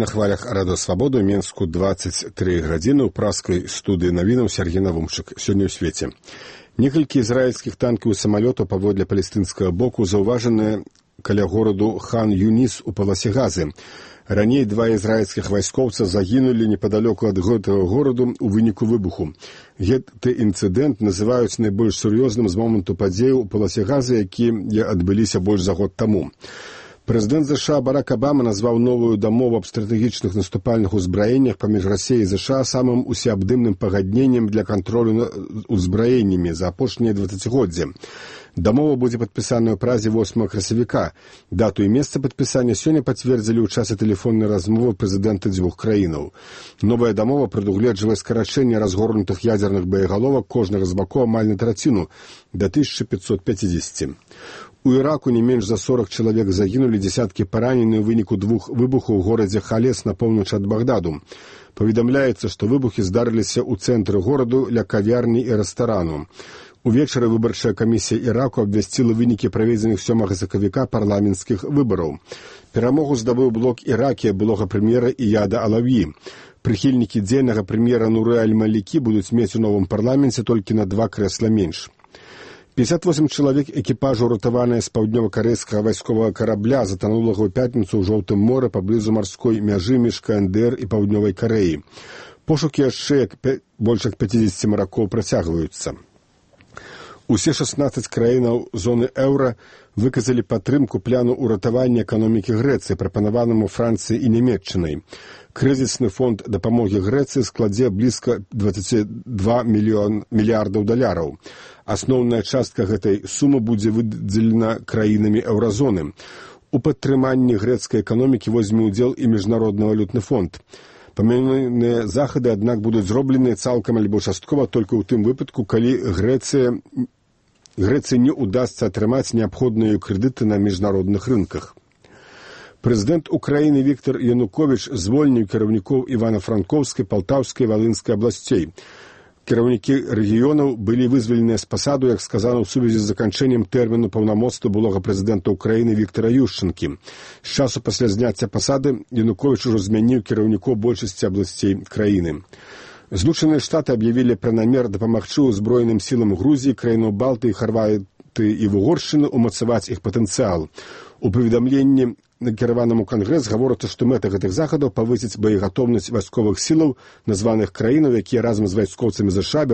На хвалях Радыё Свабода ў Менску 23 гадзіны ў праскай студыі навінаў Сергей Навумчык. Сёння ў свеце. Некалькі ізраільскіх танкаў і самалётаў паводле палестынскага боку заўважаны каля гораду Хан-Юніс у паласе Газы. Раней два ізраільскіх вайскоўца загінулі непадалёку ад гэтага гораду ў выніку выбуху. Гэты інцыдэнт называюць найбольш сур'ёзным з моманту падзеяў у паласе Газы, якія адбыліся больш за год таму. Прэзідэнт США Барак Абама назваў новую дамову аб стратэгічных наступальных узбраеннях паміж Расіяй і США самым усеабдымным пагадненнем для кантролю над узбраеннямі за апошнія 20годдзі. Дамова будзе падпісаная ў Празе 8 красавіка. Дату і месца падпісання сёння пацвердзілі ў часе тэлефоннай размовы прэзідэнты дзвюх краінаў. Новая дамова прадугледжвае скарачэнне разгорнутых ядзерных боегаловак кожнага з бакоў амаль на траціну да 1550. У Іраку не менш за 40 чалавек загінулі, дзесяткі паранены ў выніку двух выбухаў у горадзе Халес на поўнач ад Багдаду. Паведамляецца, што выбухі здарыліся ў цэнтры гораду ля кавярні і рэстарану. Увечары выбарчая камісія Іраку абвясціла вынікі праведзеных 7 сакавіка парламенцкіх выбараў. Перамогу здабыў блок Іракія былога прэм'ера Ияда Алаві. Прыхільнікі дзейнага прэм'ера Нуры Аль-Малікі будуць мець у новым парламенце толькі на 2 крэсла менш. 58 чалавек экіпажу, уратаваныя з паўднёва-карэйскага вайсковага карабля, затанулага ў пятніцу ў Жоўтым моры паблізу марской мяжы між КНДР і Паўднёвай Карэі. Пошукі яшчэ больш як 50 маракоў працягваюцца. Усе 16 краінаў зоны еўра выказалі падтрымку плану ўратавання эканомікі Грэцыі, прапанаванаму Францыяй і Нямецчынай. Крызісны фонд дапамогі Грэцыі складзе блізка 22 мільярдаў даляраў. Асноўная частка гэтай сумы будзе выдзелена краінамі еўразоны. У падтрыманні грэцкай эканомікі возьме ўдзел і Міжнародны валютны фонд. Памянёныя захады, аднак, будуць зроблены цалкам альбо часткова толькі ў тым выпадку, калі Грэцыі не ўдасца атрымаць неабходныя крэдыты на міжнародных рынках. Прэзідэнт Украіны Віктор Януковіч звольніў кіраўнікоў Івана-Франкоўскай, Палтаўскай і Валынскай абласцей. Кіраўнікі рэгіёнаў былі вызваленыя з пасаду, як сказана, ў сувязі з заканчэннем тэрміну паўнамоцтва былога прэзідэнта Украіны Віктара Юшчанкі. З часу пасля зняцця пасады Януковіч ужо змяніў кіраўнікоў большасці абласцей краіны. Злучаныя Штаты аб'явілі пра намер дапамагчы ўзброеным сілам Грузіі, краінаў Балтыі, Харватыі і Вугоршчыны ўмацаваць іх патэнцыял. У паведамленні накіраванаму Кангрэс гаворыцца, што мэта гэтых захадаў павысіць боегатоўнасць вайсковых сілаў названых краінаў, якія разам з вайскоўцамі США